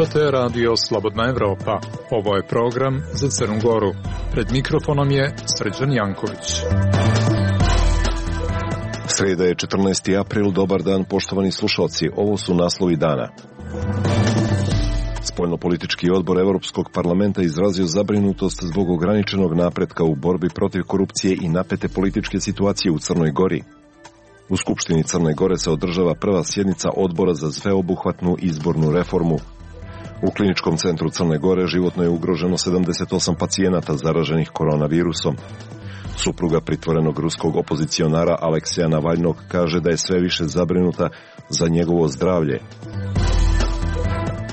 Slušate radio Slobodna Evropa. Ovo je program za Crnu Goru. Pred mikrofonom je Srđan Janković. Sreda je 14. april, dobar dan poštovani slušalci, ovo su naslovi dana. Spoljnopolitički odbor Europskog parlamenta izrazio zabrinutost zbog ograničenog napretka u borbi protiv korupcije i napete političke situacije u Crnoj Gori. U Skupštini Crne Gore se održava prva sjednica odbora za sveobuhvatnu izbornu reformu. U Kliničkom centru Crne Gore životno je ugroženo 78 pacijenata zaraženih koronavirusom. Supruga pritvorenog ruskog opozicionara Alekseja Navalnog kaže da je sve više zabrinuta za njegovo zdravlje.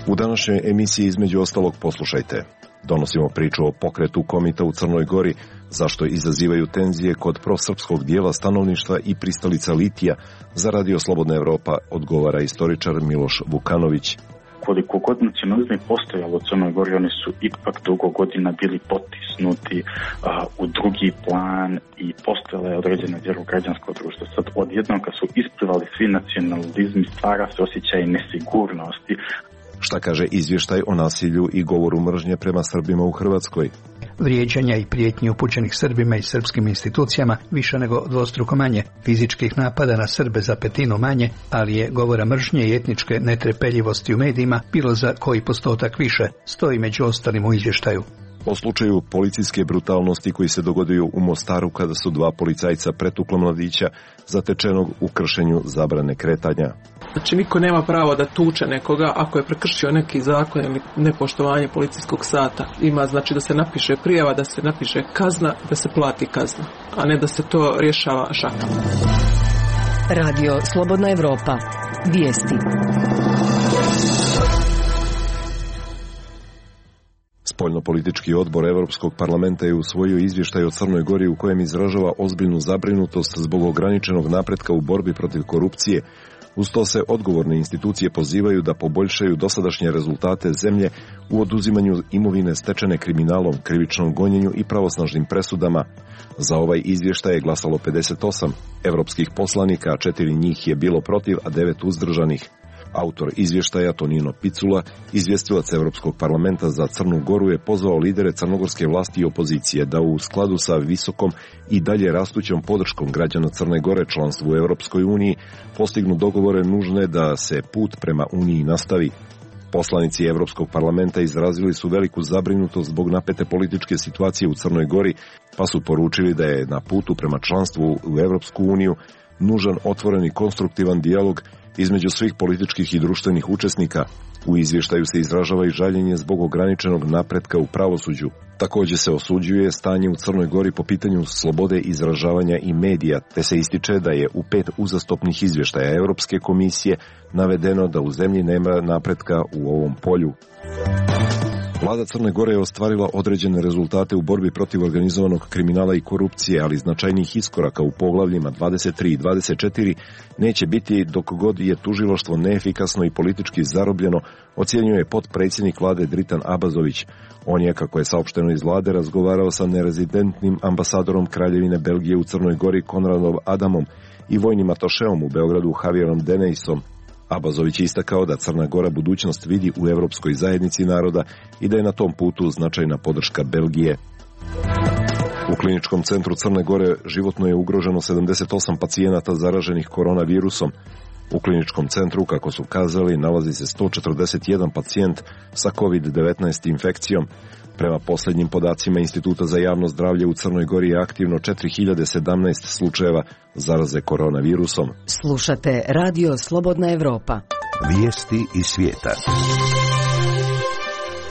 U današnjoj emisiji između ostalog poslušajte. Donosimo priču o pokretu Komita u Crnoj Gori, zašto izazivaju tenzije kod prosrpskog dijela stanovništva i pristalica litija. Za radio Slobodna Evropa odgovara istoričar Miloš Vukanović. Koliko god nacionalizam postojalo u Crnoj Gori, oni su ipak dugo godina bili potisnuti u drugi plan i postojala je određena vjera u građansko društvo. Sad odjednom kad su isplivali svi nacionalizmi, stvara se osjećaj nesigurnosti. Šta kaže izvještaj o nasilju i govoru mržnje prema Srbima u Hrvatskoj? Vrijeđanja i prijetnji upućenih Srbima i srpskim institucijama više nego dvostruko manje, fizičkih napada na Srbe za petinu manje, ali je govora mržnje i etničke netrpeljivosti u medijima bilo za koji postotak više, stoji među ostalim u izvještaju. O slučaju policijske brutalnosti koji se dogodio u Mostaru kada su dva policajca pretukla mladića zatečenog u kršenju zabrane kretanja. Znači niko nema pravo da tuče nekoga ako je prekršio neki zakon ili nepoštovanje policijskog sata. Ima znači da se napiše prijava, da se napiše kazna, da se plati kazna, a ne da se to rješava šakom. Radio Slobodna Evropa. Vijesti. Spoljnopolitički odbor Europskog parlamenta je usvojio izvještaj o Crnoj Gori u kojem izražava ozbiljnu zabrinutost zbog ograničenog napretka u borbi protiv korupcije. Uz to se odgovorne institucije pozivaju da poboljšaju dosadašnje rezultate zemlje u oduzimanju imovine stečene kriminalom, krivičnom gonjenju i pravosnažnim presudama. Za ovaj izvještaj je glasalo 58 evropskih poslanika, a 4 njih je bilo protiv, a 9 uzdržanih. Autor izvještaja Tonino Picula, izvjestilac Europskog parlamenta za Crnu Goru, je pozvao lidere crnogorske vlasti i opozicije da u skladu sa visokom i dalje rastućom podrškom građana Crne Gore članstvu u Europskoj uniji postignu dogovore nužne da se put prema uniji nastavi. Poslanici Europskog parlamenta izrazili su veliku zabrinutost zbog napete političke situacije u Crnoj Gori, pa su poručili da je na putu prema članstvu u Europsku uniju nužan otvoren i konstruktivan dijalog između svih političkih i društvenih učesnika. U izvještaju se izražava i žaljenje zbog ograničenog napretka u pravosuđu. Također se osuđuje stanje u Crnoj Gori po pitanju slobode izražavanja i medija, te se ističe da je u 5 uzastopnih izvještaja Europske komisije navedeno da u zemlji nema napretka u ovom polju. Vlada Crne Gore je ostvarila određene rezultate u borbi protiv organizovanog kriminala i korupcije, ali značajnih iskoraka u poglavljima 23 i 24 neće biti dok god je tužilaštvo neefikasno i politički zarobljeno, ocjenjuje potpredsjednik vlade Dritan Abazović. On je, kako je saopšteno iz vlade, razgovarao sa nerezidentnim ambasadorom Kraljevine Belgije u Crnoj Gori Konradom Adamom i vojnim atašeom u Beogradu Javierom Deneisom. Abazović je istakao da Crna Gora budućnost vidi u Europskoj zajednici naroda i da je na tom putu značajna podrška Belgije. U Kliničkom centru Crne Gore životno je ugroženo 78 pacijenata zaraženih koronavirusom. U Kliničkom centru, kako su kazali, nalazi se 141 pacijent sa COVID-19 infekcijom. Prema posljednjim podacima Instituta za javno zdravlje u Crnoj Gori je aktivno 4017 slučajeva zaraze koronavirusom. Slušate Radio Slobodna Evropa. Vijesti iz svijeta.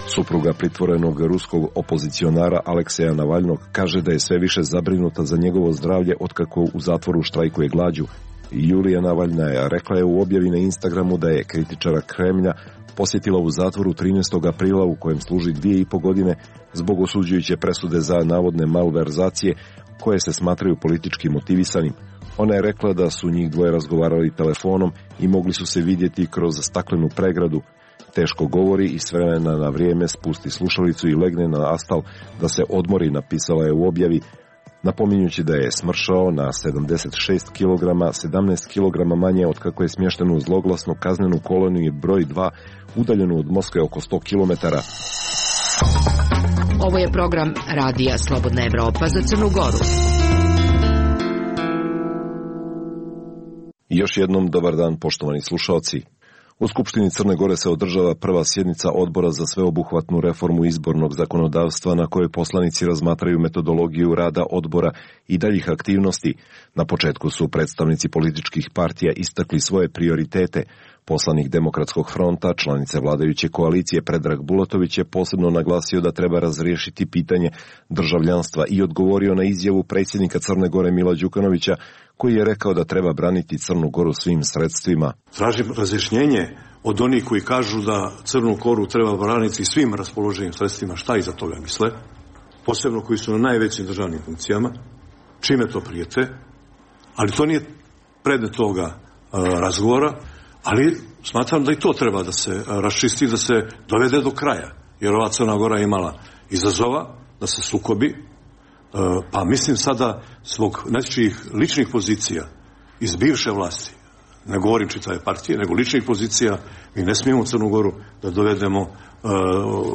Supruga pritvorenog ruskog opozicionara Alekseja Navalnog kaže da je sve više zabrinuta za njegovo zdravlje otkako u zatvoru štrajkuje glađu. Julija Navalnaja rekla je u objavi na Instagramu da je kritičara Kremlja posjetila u zatvoru 13. aprila u kojem služi 2,5 godine zbog osuđujuće presude za navodne malverzacije koje se smatraju politički motivisanim. Ona je rekla da su njih dvoje razgovarali telefonom i mogli su se vidjeti kroz staklenu pregradu. Teško govori i s vremena na vrijeme spusti slušalicu i legne na astal da se odmori, napisala je u objavi. napominjući da je smršao na 76 kg, 17 kg manje od kako je smješten u zloglasnu kaznenu koloniju broj 2, udaljenu od Moskve oko 100 km. Ovo je program Radija Slobodna Evropa za Crnu Goru. Još jednom dobar dan, poštovani slušalci. U Skupštini Crne Gore se održava prva sjednica Odbora za sveobuhvatnu reformu izbornog zakonodavstva na kojoj poslanici razmatraju metodologiju rada odbora i daljih aktivnosti. Na početku su predstavnici političkih partija istakli svoje prioritete. Poslanik Demokratskog fronta, članice vladajuće koalicije Predrag Bulatović je posebno naglasio da treba razriješiti pitanje državljanstva i odgovorio na izjavu predsjednika Crne Gore Mila Đukanovića, koji je rekao da treba braniti Crnu Goru svim sredstvima. Tražim razjašnjenje od onih koji kažu da Crnu Goru treba braniti svim raspoloženim sredstvima. Šta iza toga misle? Posebno koji su na najvećim državnim funkcijama. Čime to prijete? Ali to nije predmet toga razgovora, ali smatram da i to treba da se raščisti, da se dovede do kraja. Jer ova Crna Gora je imala izazova da se sukobi, pa mislim sada zbog nečijih ličnih pozicija iz bivše vlasti, ne govorim čitave partije, nego ličnih pozicija, mi ne smijemo Crnu Goru da dovedemo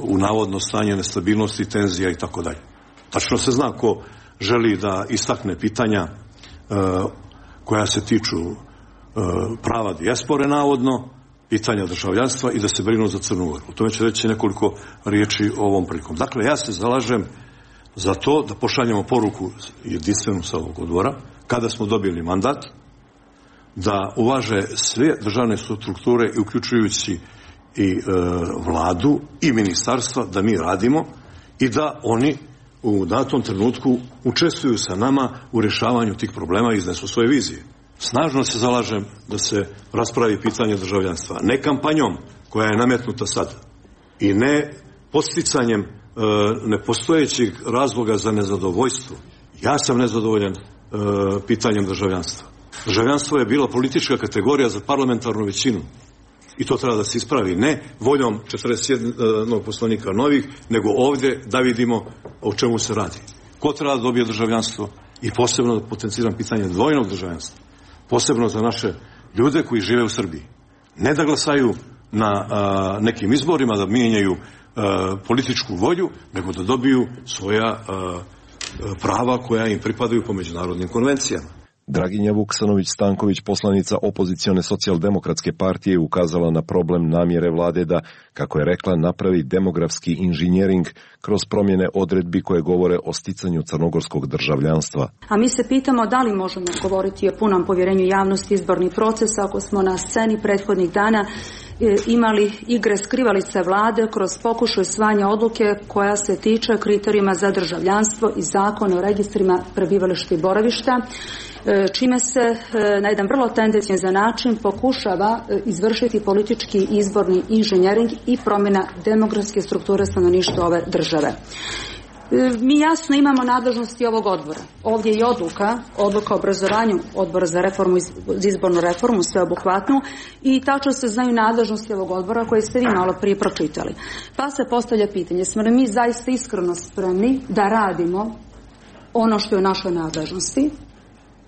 u navodno stanje nestabilnosti, tenzija i tako dalje. Tačno se zna ko želi da istakne pitanja koja se tiču prava dijaspore navodno, pitanja državljanstva i da se brinu za Crnu Goru. O tome ću reći nekoliko riječi ovom prilikom. Dakle, ja se zalažem za to da pošaljemo poruku jedinstvenu sa ovog odbora, kada smo dobili mandat, da uvaže sve državne strukture, uključujući i vladu i ministarstva, da mi radimo i da oni u datom trenutku učestvuju sa nama u rješavanju tih problema i iznesu svoje vizije. Snažno se zalažem da se raspravi pitanje državljanstva. Ne kampanjom koja je nametnuta sad i ne podsticanjem nepostojećih razloga za nezadovoljstvo. Ja sam nezadovoljan pitanjem državljanstva. Državljanstvo je bila politička kategorija za parlamentarnu većinu i to treba da se ispravi, ne voljom 41 poslanika novih, nego ovdje da vidimo o čemu se radi. Ko treba da dobije državljanstvo i posebno da potenciram pitanje dvojnog državljanstva, posebno za naše ljude koji žive u Srbiji. Ne da glasaju na nekim izborima, da mijenjaju političku volju, nego da dobiju svoja prava koja im pripadaju po međunarodnim konvencijama. Draginja Vuksanović-Stanković, poslanica opozicione socijaldemokratske partije, ukazala na problem namjere vlade da, kako je rekla, napravi demografski inženjering kroz promjene odredbi koje govore o sticanju crnogorskog državljanstva. A mi se pitamo da li možemo govoriti o punom povjerenju javnosti izbornih procesa ako smo na sceni prethodnih dana imali igre skrivalice vlade kroz pokušaj usvajanja odluke koja se tiče kriterijuma za državljanstvo i zakona o registrima prebivališta i boravišta, čime se na jedan vrlo tendenciozan način pokušava izvršiti politički izborni inženjering i promjena demografske strukture stanovništva ove države. Mi jasno imamo nadležnosti ovog odbora. Ovdje je odluka o obrazovanju odbora za izbornu reformu sveobuhvatnu i tačno se znaju nadležnosti ovog odbora koje ste vi malo prije pročitali. Pa se postavlja pitanje, smo li mi zaista iskreno spremni da radimo ono što je u našoj nadležnosti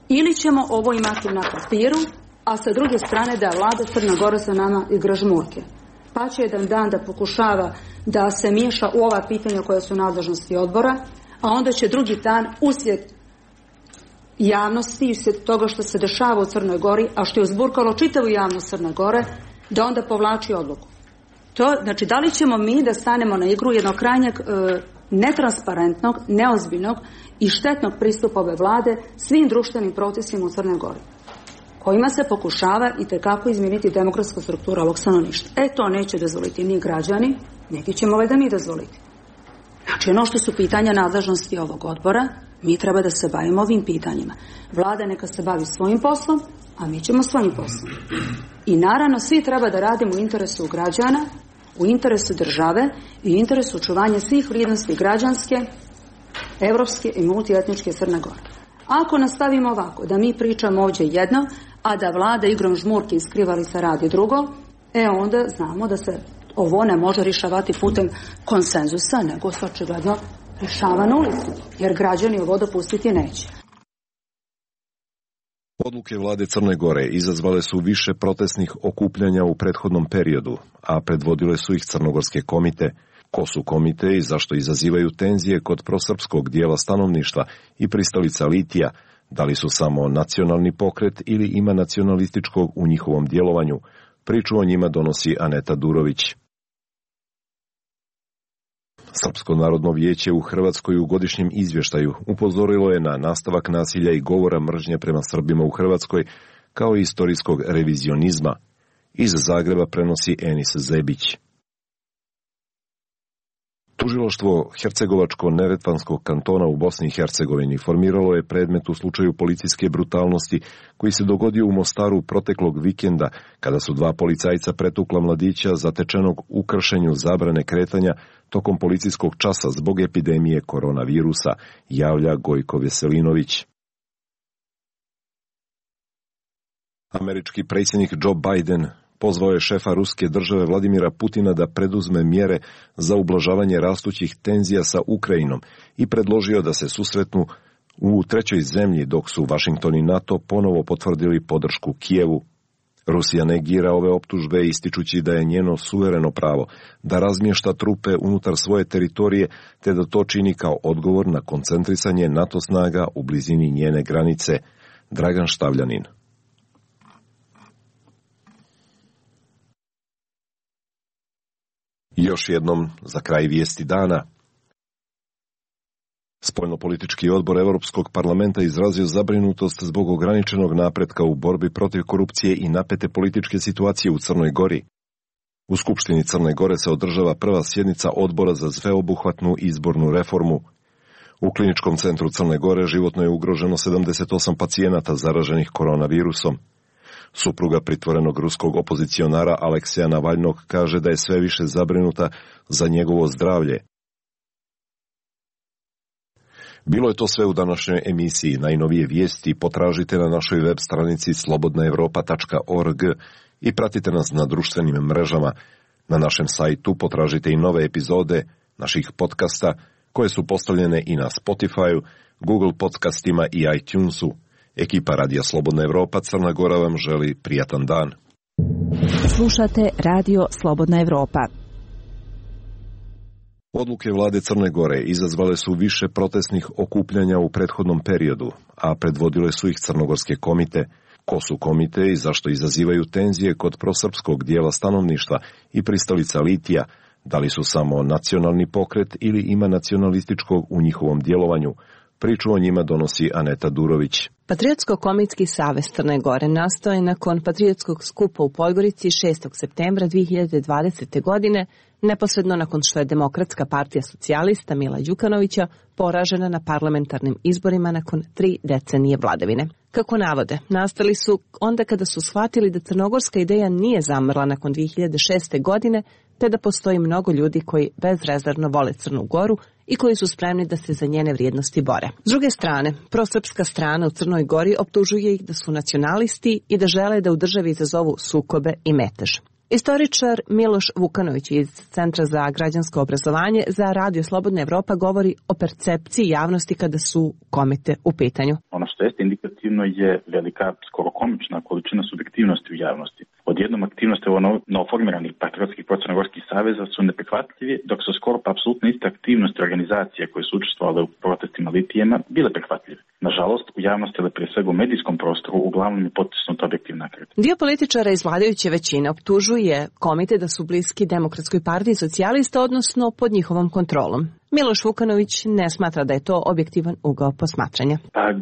ili ćemo ovo imati na papiru, a sa druge strane da vlada Crna Gora za nama igra žmurke. Pa će jedan dan da pokušava da se miješa u ova pitanja koja su nadležnosti odbora, a onda će drugi dan uslijed javnosti, uslijed toga što se dešava u Crnoj Gori, a što je uzburkalo čitavu javnost Crne Gore, da onda povlači odluku. To, znači, da li ćemo mi da stanemo na igru jednog krajnjeg netransparentnog, neozbiljnog i štetnog pristupa ove vlade svim društvenim procesima u Crnoj Gori, kojima se pokušava itekako izmijeniti demokratska struktura ovog stanovništva. To neće dozvoliti ni građani, neki ćemo valjda mi dozvoliti. Znači, ono što su pitanja nadležnosti ovog odbora, mi treba da se bavimo ovim pitanjima. Vlada neka se bavi svojim poslom, a mi ćemo svojim poslom. I naravno, svi treba da radimo u interesu građana, u interesu države i u interesu očuvanja svih vrijednosti građanske, evropske i multietničke Crne Gore. Ako nastavimo ovako, da mi pričamo ovdje jedno, a da vlada igrom žmurke i skrivalica radi drugo, onda znamo da se ovo ne može rješavati putem konsenzusa, nego se očigledno Šava na ulicu, jer građani ovo dopustiti neće. Odluke vlade Crne Gore izazvale su više protestnih okupljanja u prethodnom periodu, a predvodile su ih crnogorske komite. Ko su komite i zašto izazivaju tenzije kod prosrpskog dijela stanovništva i pristalica litija, da li su samo nacionalni pokret ili ima nacionalističkog u njihovom djelovanju, priču o njima donosi Aneta Durović. Srpsko narodno vijeće u Hrvatskoj u godišnjem izvještaju upozorilo je na nastavak nasilja i govora mržnje prema Srbima u Hrvatskoj, kao i istorijskog revizionizma. Iz Zagreba prenosi Enis Zebić. Tužilaštvo Hercegovačko-Neretvanskog kantona u Bosni i Hercegovini formiralo je predmet u slučaju policijske brutalnosti koji se dogodio u Mostaru proteklog vikenda, kada su dva policajca pretukla mladića zatečenog u kršenju zabrane kretanja tokom policijskog časa zbog epidemije koronavirusa, javlja Gojko Veselinović. Američki predsjednik Joe Biden pozvao je šefa ruske države Vladimira Putina da preduzme mjere za ublažavanje rastućih tenzija sa Ukrajinom i predložio da se susretnu u trećoj zemlji, dok su Washington i NATO ponovo potvrdili podršku Kijevu. Rusija negira ove optužbe ističući da je njeno suvereno pravo da razmješta trupe unutar svoje teritorije, te da to čini kao odgovor na koncentrisanje NATO snaga u blizini njene granice. Dragan Štavljanin. Još jednom za kraj vijesti dana. Spoljnopolitički odbor Europskog parlamenta izrazio zabrinutost zbog ograničenog napretka u borbi protiv korupcije i napete političke situacije u Crnoj Gori. U Skupštini Crne Gore se održava prva sjednica odbora za sveobuhvatnu izbornu reformu. U Kliničkom centru Crne Gore životno je ugroženo 78 pacijenata zaraženih koronavirusom. Supruga pritvorenog ruskog opozicionara Alekseja Navalnog kaže da je sve više zabrinuta za njegovo zdravlje. Bilo je to sve u današnjoj emisiji. Najnovije vijesti potražite na našoj web stranici slobodnaevropa.org i pratite nas na društvenim mrežama. Na našem sajtu potražite i nove epizode naših podcasta koje su postavljene i na Spotify, Google podcastima i iTunesu. Ekipa Radija Slobodna Evropa Crna Gora vam želi prijatan dan. Slušate Radio Slobodna Evropa. Odluke vlade Crne Gore izazvale su više protestnih okupljanja u prethodnom periodu, a predvodile su ih crnogorske komite. Ko su komite i zašto izazivaju tenzije kod prosrpskog dijela stanovništva i pristalica litija, da li su samo nacionalni pokret ili ima nacionalističkog u njihovom djelovanju, priču o njima donosi Aneta Durović. Patriotsko-komitski savez Crne Gore nastao je nakon patriotskog skupa u Podgorici 6. septembra 2020. godine, neposredno nakon što je Demokratska partija socijalista Mila Đukanovića poražena na parlamentarnim izborima nakon 3 decenije vladavine. Kako navode, nastali su onda kada su shvatili da crnogorska ideja nije zamrla nakon 2006. godine, te da postoji mnogo ljudi koji bezrezervno vole Crnu Goru i koji su spremni da se za njene vrijednosti bore. S druge strane, prosrpska strana u Crnoj Gori optužuje ih da su nacionalisti i da žele da u državi izazovu sukobe i metež. Istoričar Miloš Vukanović iz Centra za građansko obrazovanje za Radio Slobodna Evropa govori o percepciji javnosti kada su komite u pitanju. Ono što jeste indikativno je velika, skoro komična količina subjektivnosti u javnosti. Odjednom aktivnosti novoformiranih patriotskih procrnogorskih saveza su neprihvatljivi, dok su skoro pa apsolutno iste aktivnosti organizacije koje su učestvovale u protestima litijema bile prihvatljive. Nažalost, u javnosti, ali prije svega u medijskom prostoru, uglavnom je potisnuta objektivna kritika. Dio političara iz vladajuće većine optužuje komite da su bliski Demokratskoj partiji socijalista, odnosno pod njihovom kontrolom. Miloš Vukanović ne smatra da je to objektivan ugao posmatranja.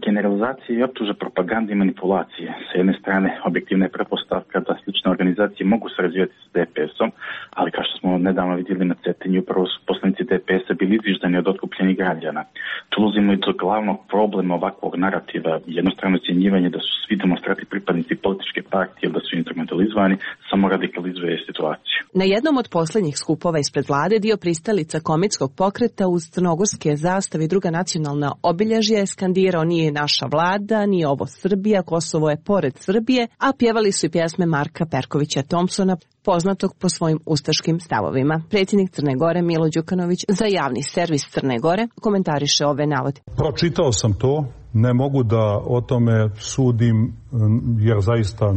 Generalizacije i optuže propagande i manipulacije. Sa jedne strane, objektivna je pretpostavka da slične organizacije mogu sarađivati s DPS-om, ali kao što smo nedavno vidjeli na Cetinju, upravo su poslanici DPS-a bili izviždani od otkupljenih građana. Tu ulazimo i do glavnog problema ovakvog narativa, jednostrano ocjenjivanje da su svi demonstranti pripadnici političke partije ili da su instrumentalizovani, samo radikalizuje situaciju. Na jednom od posljednjih skupova ispred vlade dio pristalica komitskog pokreta koncerta uz crnogorske zastave i druga nacionalna obilježja je skandirao "Nije naša vlada, nije ovo Srbija, Kosovo je pored Srbije", a pjevali su i pjesme Marka Perkovića Thompsona, poznatog po svojim ustaškim stavovima. Predsjednik Crne Gore Milo Đukanović za javni servis Crne Gore komentariše ove navode. Pročitao sam to, ne mogu da o tome sudim jer zaista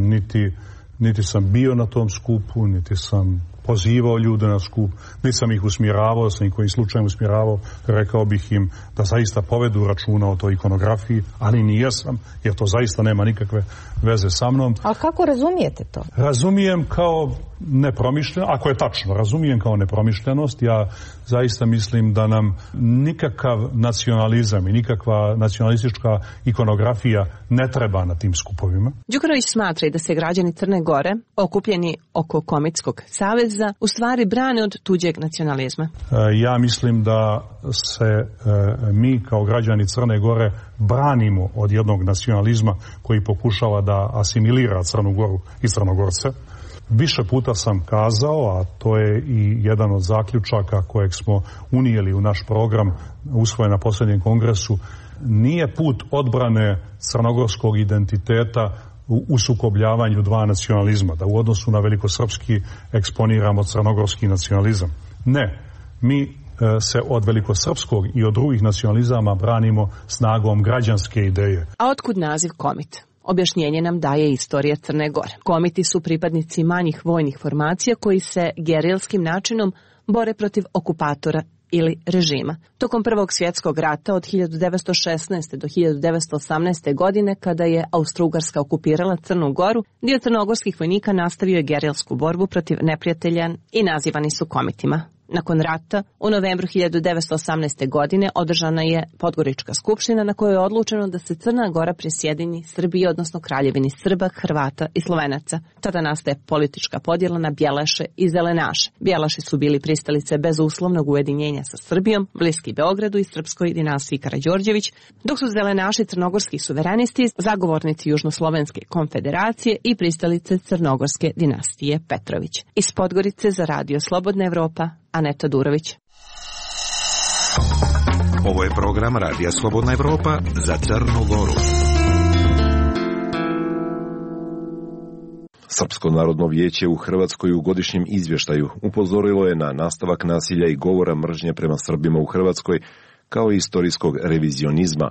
niti sam bio na tom skupu, niti sam pozivao ljude na skup, niti sam ih usmjeravao, sam ih kojim slučajem usmjeravao, rekao bih im da zaista povedu računa o toj ikonografiji, ali nijesam, jer to zaista nema nikakve veze sa mnom. Ali kako razumijete to? Razumijem kao nepromišljeno, ako je tačno, razumijem kao nepromišljenost. Ja zaista mislim da nam nikakav nacionalizam i nikakva nacionalistička ikonografija ne treba na tim skupovima. Đukanović smatra i da se građani Crne Gore, okupljeni oko Komitskog saveza, u stvari brane od tuđeg nacionalizma. Ja mislim da se mi kao građani Crne Gore branimo od jednog nacionalizma koji pokušava da asimilira Crnu Goru i Crnogorce. Više puta sam kazao, a to je i jedan od zaključaka kojeg smo unijeli u naš program usvojen na posljednjem kongresu, nije put odbrane crnogorskog identiteta u sukobljavanju dva nacionalizma, da u odnosu na velikosrpski eksponiramo crnogorski nacionalizam. Ne, mi se od velikosrpskog i od drugih nacionalizama branimo snagom građanske ideje. A otkud naziv Komit? Objašnjenje nam daje istorija Crne Gore. Komiti su pripadnici manjih vojnih formacija koji se gerilskim načinom bore protiv okupatora ili režima. Tokom Prvog svjetskog rata od 1916. do 1918. godine, kada je Austro-Ugarska okupirala Crnu Goru, dio crnogorskih vojnika nastavio je gerilsku borbu protiv neprijatelja i nazivani su komitima. Nakon rata, u novembru 1918. godine održana je Podgorička skupština na kojoj je odlučeno da se Crna Gora prisjedini Srbiji, odnosno Kraljevini Srba, Hrvata i Slovenaca. Tada nastaje politička podjela na Bjelaše i Zelenaše. Bjelaši su bili pristalice bezuslovnog ujedinjenja sa Srbijom, bliski Beogradu i srpskoj dinastiji Karađorđević, dok su Zelenaši crnogorski suverenisti, zagovornici Južnoslovenske konfederacije i pristalice crnogorske dinastije Petrović. Iz Podgorice za Radio Slobodna Evropa, Aneta Durović. Ovo je program Radija Slobodna Evropa za Crnu Goru. Srpsko narodno vijeće u Hrvatskoj u godišnjem izvještaju upozorilo je na nastavak nasilja i govora mržnje prema Srbima u Hrvatskoj, kao i istorijskog revizionizma.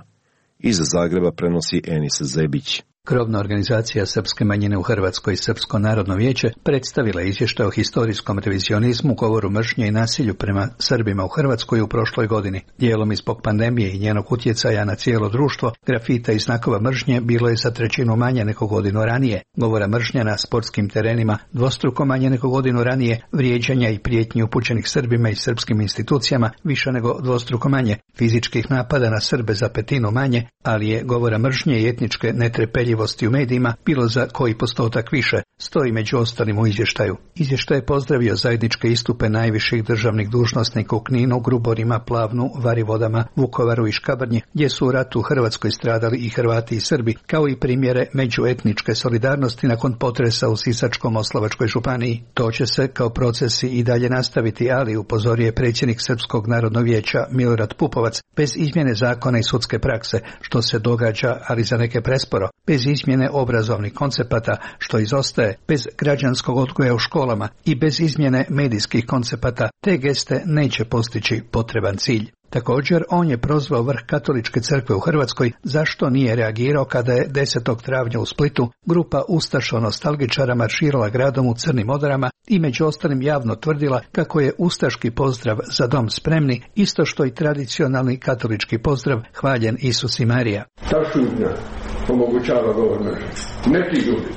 Iz Zagreba prenosi Enis Zebić. Krovna organizacija srpske manjine u Hrvatskoj, Srpsko narodno vijeće, predstavila izvještaj o historijskom revizionizmu, govoru mržnje i nasilju prema Srbima u Hrvatskoj u prošloj godini. Dijelom i zbog pandemije i njenog utjecaja na cijelo društvo, grafita i znakova mržnje bilo je za 1/3 manje nego godinu ranije. Govora mržnje na sportskim terenima dvostruko manje nego godinu ranije, vrijeđanja i prijetnji upućenih Srbima i srpskim institucijama više nego dvostruko manje, fizičkih napada na Srbe za 1/5 manje, ali je govora mržnje i etničke netrpeljivosti u medijima bilo za koji postotak više, stoji među ostalim u izvještaju. Izvještaj je pozdravio zajedničke istupe najviših državnih dužnosnika u Kninu, Gruborima, Plavnu, Varivodama, Vukovaru i Škabrnji, gdje su u ratu u Hrvatskoj stradali i Hrvati i Srbi, kao i primjere međuetničke solidarnosti nakon potresa u Sisačko-moslavačkoj županiji. To će se kao procesi i dalje nastaviti, ali upozorio je predsjednik Srpskog narodnog vijeća Milorad Pupovac, bez izmjene zakona i sudske prakse, što se događa, ali za neke presporo, bez izmjene obrazovnih koncepata, što izostaje, bez građanskog odgoja u školama i bez izmjene medijskih koncepata, te geste neće postići potreban cilj. Također, on je prozvao vrh Katoličke crkve u Hrvatskoj zašto nije reagirao kada je 10. travnja u Splitu grupa ustašo-nostalgičara marširala gradom u crnim odorama i među ostalim javno tvrdila kako je ustaški pozdrav Za dom spremni, isto što i tradicionalni katolički pozdrav Hvaljen Isus i Marija. Ta šutnja omogućava govor mržnje. Neki ljudi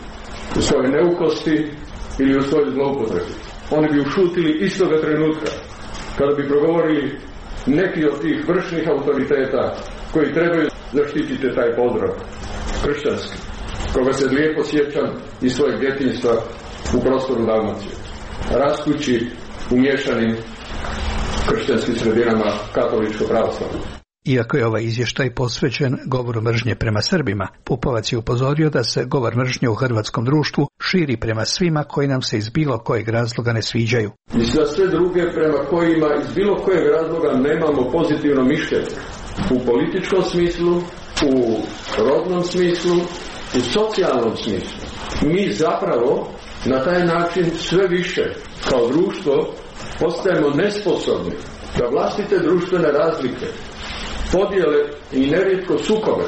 u svojoj neukosti ili u svojoj zloupotrebi, oni bi ušutili istoga trenutka kada bi progovorili neki od tih vršnih autoriteta koji trebaju zaštititi taj pozdrav kršćanski, koga se lijepo sjećam iz svojeg djetinjstva u prostoru Dalmacije, rastući u miješanim kršćanskim sredinama katoličko-pravoslavno. Iako je ovaj izvještaj posvećen govoru mržnje prema Srbima, Pupovac je upozorio da se govor mržnje u hrvatskom društvu širi prema svima koji nam se iz bilo kojeg razloga ne sviđaju. I za sve druge prema kojima iz bilo kojeg razloga nemamo pozitivno mišljenje. U političkom smislu, u rodnom smislu, u socijalnom smislu. Mi zapravo na taj način sve više kao društvo postajemo nesposobni da vlastite društvene razlike, podjele i nerijetko sukobe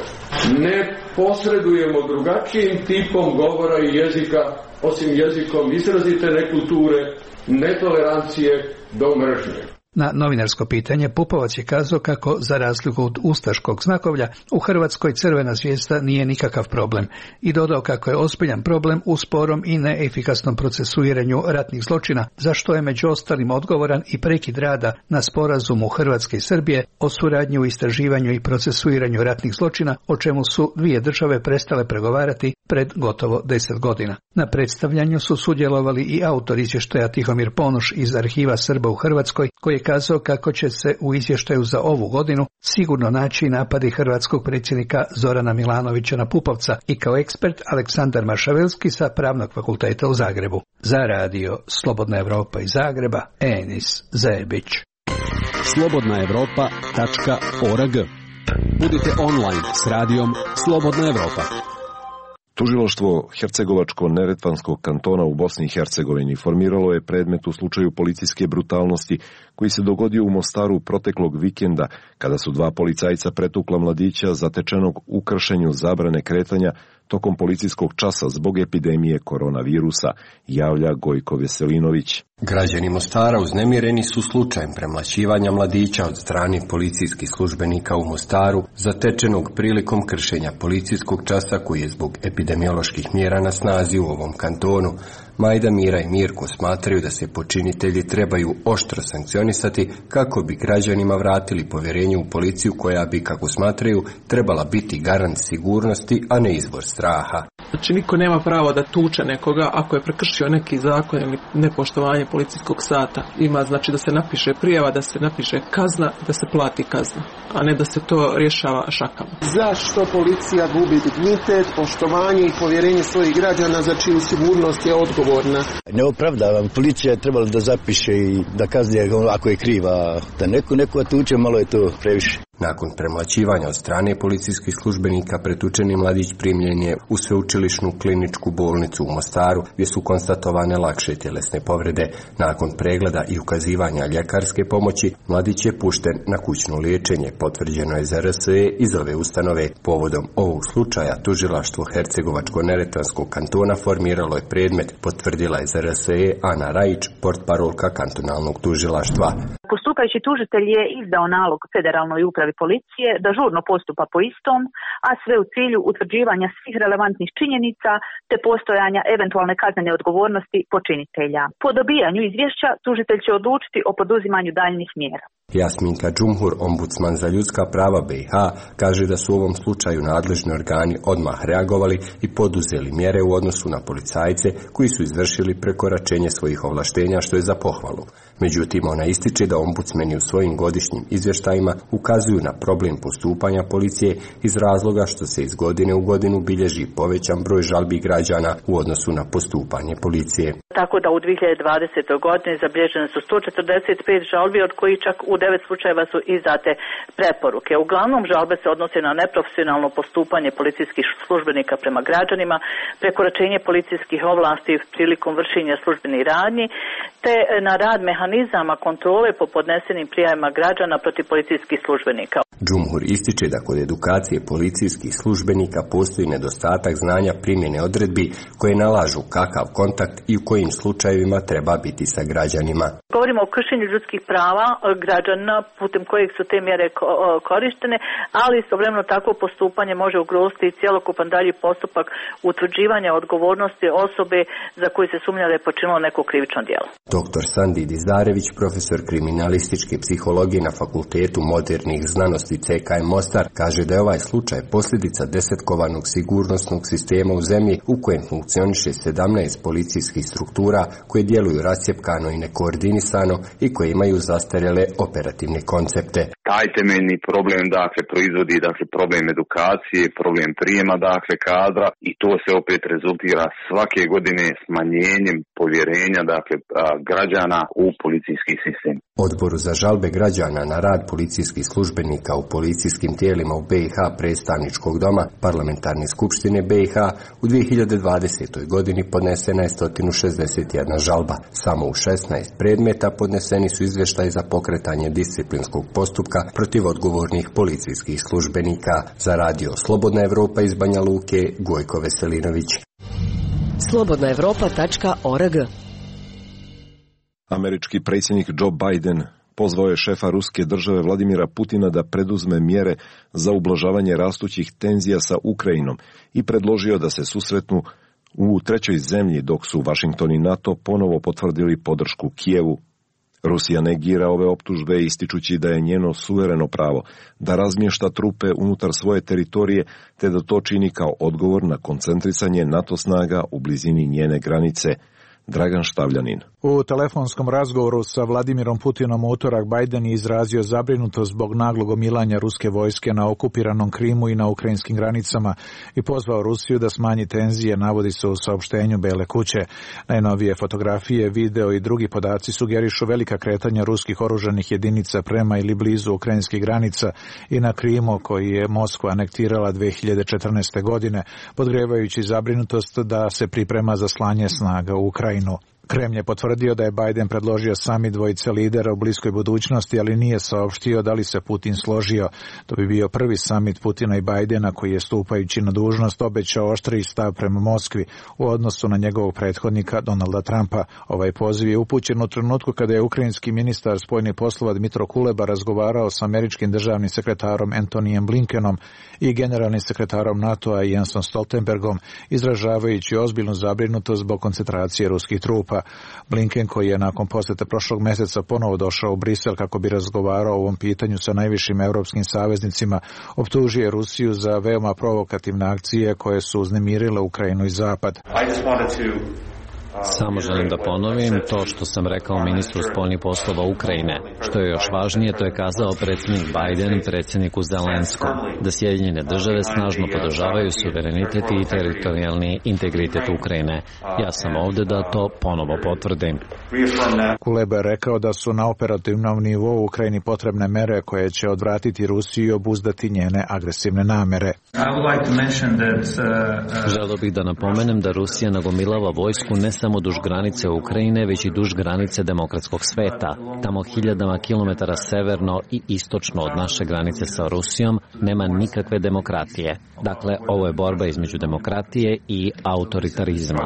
ne posredujemo drugačijim tipom govora i jezika, osim jezikom izrazite nekulture, netolerancije do mržnje. Na novinarsko pitanje Pupovac je kazao kako, za razliku od ustaškog znakovlja, u Hrvatskoj crvena zvijezda nije nikakav problem i dodao kako je ozbiljan problem u sporom i neefikasnom procesuiranju ratnih zločina, za što je među ostalim odgovoran i prekid rada na sporazumu Hrvatske i Srbije o suradnji u istraživanju i procesuiranju ratnih zločina, o čemu su dvije države prestale pregovarati pred gotovo 10 godina. Na predstavljanju su sudjelovali i autor izvještaja Tihomir Ponoš iz Arhiva Srba u Hrvatskoj, koji je kazao kako će se u izvještaju za ovu godinu sigurno naći napadi hrvatskog predsjednika Zorana Milanovića na Pupovca, i kao ekspert Aleksandar Maršavelski sa Pravnog fakulteta u Zagrebu. Za radio Slobodna Evropa iz Zagreba, Enis Zebić. slobodnaevropa.org. Budite online s radijom Slobodna Evropa. Tužilaštvo Hercegovačko-Neretvanskog kantona u Bosni i Hercegovini formiralo je predmet u slučaju policijske brutalnosti koji se dogodio u Mostaru proteklog vikenda, kada su dva policajca pretukla mladića zatečenog u kršenju zabrane kretanja tokom policijskog časa zbog epidemije koronavirusa, javlja Gojko Veselinović. Građani Mostara uznemireni su slučajem premlaćivanja mladića od strane policijskih službenika u Mostaru, zatečenog prilikom kršenja policijskog časa koji je zbog epidemioloških mjera na snazi u ovom kantonu. Majda, Mira i Mirko smatraju da se počinitelji trebaju oštro sankcionisati kako bi građanima vratili povjerenje u policiju koja bi, kako smatraju, trebala biti garant sigurnosti, a ne izvor straha. Znači, niko nema pravo da tuče nekoga ako je prekršio neki zakon ili nepoštovanje policijskog sata. Ima, znači, da se napiše prijava, da se napiše kazna, da se plati kazna, a ne da se to rješava šakama. Zašto policija gubi dignitet, poštovanje i povjerenje svojih građana, za čiju sigurnost je odgovorna? Ne opravdavam, policija je trebala da zapiše i da kazni ako je kriva, da neko tuče, malo je to previše. Nakon premlaćivanja od strane policijskih službenika, pretučeni mladić primljen je u sveučilišnu kliničku bolnicu u Mostaru, gdje su konstatovane lakše tjelesne povrede. Nakon pregleda i ukazivanja ljekarske pomoći, mladić je pušten na kućno liječenje, potvrđeno je za RSE iz ove ustanove. Povodom ovog slučaja tužilaštvo Hercegovačko-Neretvanskog kantona formiralo je predmet, potvrdila je za RSE Ana Rajić, portparolka kantonalnog tužilaštva. Postupajući tužitelj je izdao nalog Federalnoj upravi policije da žurno postupa po istom, a sve u cilju utvrđivanja svih relevantnih činjenica te postojanja eventualne kaznene odgovornosti počinitelja. Po dobijanju izvješća tužitelj će odlučiti o poduzimanju daljnjih mjera. Jasminka Džumhur, ombudsman za ljudska prava BiH, kaže da su u ovom slučaju nadležni organi odmah reagovali i poduzeli mjere u odnosu na policajce koji su izvršili prekoračenje svojih ovlaštenja, što je za pohvalu. Međutim, ona ističe da ombudsmeni u svojim godišnjim izvještajima ukazuju na problem postupanja policije iz razloga što se iz godine u godinu bilježi povećan broj žalbi građana u odnosu na postupanje policije. Tako da u 2020. godini zabilježene su 145 žalbi, od kojih čak u 9 slučajeva su izdate preporuke. Uglavnom žalbe se odnose na neprofesionalno postupanje policijskih službenika prema građanima, prekoračenje policijskih ovlasti prilikom vršenja službenih radnji, te na rad mehanizama kontrole po podnesenim prijavama građana protiv policijskih službenika. Džumhur ističe da kod edukacije policijskih službenika postoji nedostatak znanja primjene odredbi koje nalažu kakav kontakt i u kojim slučajevima treba biti sa građanima. Govorimo o kršenju ljudskih prava građana putem kojeg su te mjere korištene, ali istovremeno takvo postupanje može ugroziti cjelokupan dalji postupak utvrđivanja odgovornosti osobe za koju se sumnja da je počinilo neko krivično djelo. Dr. Sandi Dizdarević, profesor kriminalističke psihologije na Fakultetu modernih znanosti CKM Mostar, kaže da je ovaj slučaj posljedica desetkovanog sigurnosnog sistema u zemlji u kojem funkcioniše 17 policijskih struktura struktura koje djeluju rascjepkano i nekoordinisano i koje imaju zastarjele operativne koncepte. Taj temeljni problem proizvodi problem edukacije, problem prijema kadra i to se opet rezultira svake godine smanjenjem povjerenja građana u policijski sistem. Odboru za žalbe građana na rad policijskih službenika u policijskim tijelima u BiH predstavničkog doma Parlamentarne skupštine BiH u 2020. godini podnesena je 161 žalba. Samo u 16 predmeta podneseni su izvještaji za pokretanje disciplinskog postupka protiv odgovornih policijskih službenika. Za radio Slobodna Evropa iz Banja Luke, Gojko Veselinović. slobodnaevropa.org. Američki predsjednik Joe Biden pozvao je šefa ruske države Vladimira Putina da preduzme mjere za ublažavanje rastućih tenzija sa Ukrajinom i predložio da se susretnu u trećoj zemlji, dok su Washington i NATO ponovo potvrdili podršku Kijevu. Rusija negira ove optužbe ističući da je njeno suvereno pravo da razmješta trupe unutar svoje teritorije te da to čini kao odgovor na koncentrisanje NATO snaga u blizini njene granice. Dragan Štavljanin. U telefonskom razgovoru sa Vladimirom Putinom u utorak Biden je izrazio zabrinutost zbog naglog omilanja ruske vojske na okupiranom Krimu i na ukrajinskim granicama i pozvao Rusiju da smanji tenzije, navodi se u saopštenju Bele kuće. Najnovije fotografije, video i drugi podaci sugerišu velika kretanja ruskih oružanih jedinica prema ili blizu ukrajinskih granica i na Krimu, koji je Moskva anektirala 2014. godine, podgrevajući zabrinutost da se priprema za slanje snaga u Ukrajinu. Kremlj je potvrdio da je Biden predložio samit dvojice lidera u bliskoj budućnosti, ali nije saopštio da li se Putin složio. To bi bio prvi samit Putina i Bidena koji je stupajući na dužnost obećao oštriji stav prema Moskvi u odnosu na njegovog prethodnika Donalda Trumpa. Ovaj poziv je upućen u trenutku kada je ukrajinski ministar spoljnih poslova Dmytro Kuleba razgovarao s američkim državnim sekretarom Antonijem Blinkenom i generalnim sekretarom NATO-a Jensom Stoltenbergom, izražavajući ozbiljnu zabrinutost zbog koncentracije ruskih trupa. Blinken, koji je nakon posjete prošlog mjeseca ponovo došao u Brisel kako bi razgovarao o ovom pitanju sa najvišim europskim saveznicima, optužio Rusiju za veoma provokativne akcije koje su uznemirile Ukrajinu i Zapad. Samo želim da ponovim to što sam rekao ministru spoljnih poslova Ukrajine. Što je još važnije, to je kazao predsjednik Biden predsjedniku Zelenskom, da Sjedinjene države snažno podržavaju suverenitet i teritorijalni integritet Ukrajine. Ja sam ovdje da to ponovo potvrdim. Kuleba je rekao da su na operativnom nivou Ukrajini potrebne mere koje će odvratiti Rusiju i obuzdati njene agresivne namere. Želio bih da napomenem da Rusija nagomilava vojsku ne samo duž granice Ukrajine, već i duž granice demokratskog sveta. Tamo hiljadama kilometara severno i istočno od naše granice sa Rusijom nema nikakve demokratije. Dakle, ovo je borba između demokratije i autoritarizma.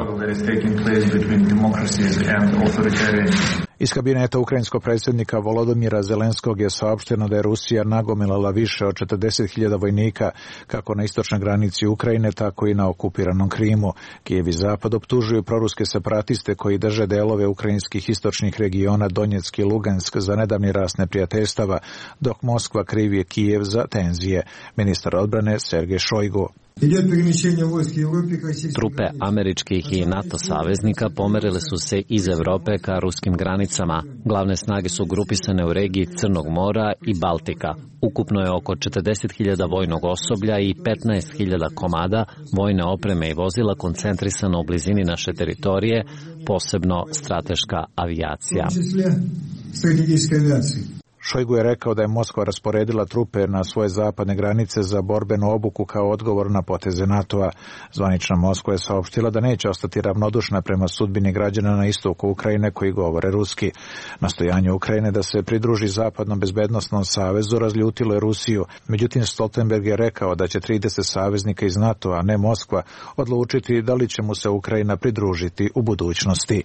Iz kabineta ukrajinskog predsjednika Volodymyra Zelenskog je saopšteno da je Rusija nagomilala više od 40.000 vojnika kako na istočnoj granici Ukrajine, tako i na okupiranom Krimu. Kijev i Zapad optužuju proruske separatiste koji drže delove ukrajinskih istočnih regiona Donjeck i Lugansk za nedavni rast neprijateljstava, dok Moskva krivi Kijev za tenzije. Ministar odbrane Sergej Šojgu. Trupe američkih i NATO saveznika pomerile su se iz Europe ka ruskim granicama. Glavne snage su grupisane u regiji Crnog mora i Baltika. Ukupno je oko 40.000 vojnog osoblja i 15.000 komada vojne opreme i vozila koncentrisano u blizini naše teritorije, posebno strateška avijacija. Šojgu je rekao da je Moskva rasporedila trupe na svoje zapadne granice za borbenu obuku kao odgovor na poteze NATO-a. Zvanična Moskva je saopštila da neće ostati ravnodušna prema sudbini građana na istoku Ukrajine koji govore ruski. Nastojanje Ukrajine da se pridruži zapadnom bezbednosnom savezu razljutilo je Rusiju. Međutim, Stoltenberg je rekao da će 30 saveznika iz NATO-a, ne Moskva, odlučiti da li će mu se Ukrajina pridružiti u budućnosti.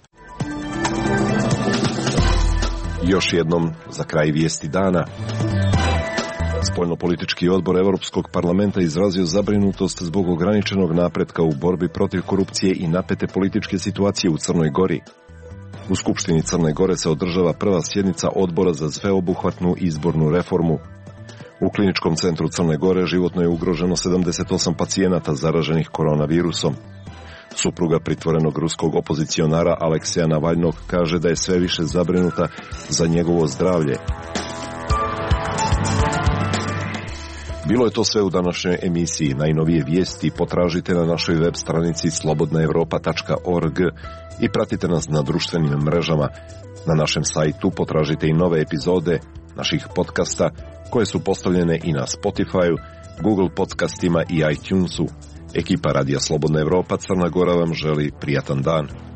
Još jednom za kraj vijesti dana. Spoljnopolitički odbor Europskog parlamenta izrazio zabrinutost zbog ograničenog napretka u borbi protiv korupcije i napete političke situacije u Crnoj Gori. U Skupštini Crne Gore se održava prva sjednica odbora za sveobuhvatnu izbornu reformu. U Kliničkom centru Crne Gore životno je ugroženo 78 pacijenata zaraženih koronavirusom. Supruga pritvorenog ruskog opozicionara Alekseja Navalnog kaže da je sve više zabrinuta za njegovo zdravlje. Bilo je to sve u današnjoj emisiji. Najnovije vijesti potražite na našoj web stranici slobodnaevropa.org i pratite nas na društvenim mrežama. Na našem sajtu potražite i nove epizode naših podcasta koje su postavljene i na Spotify, Google podcastima i iTunesu. Ekipa Radija Slobodna Evropa Crna Gora vam želi prijatan dan.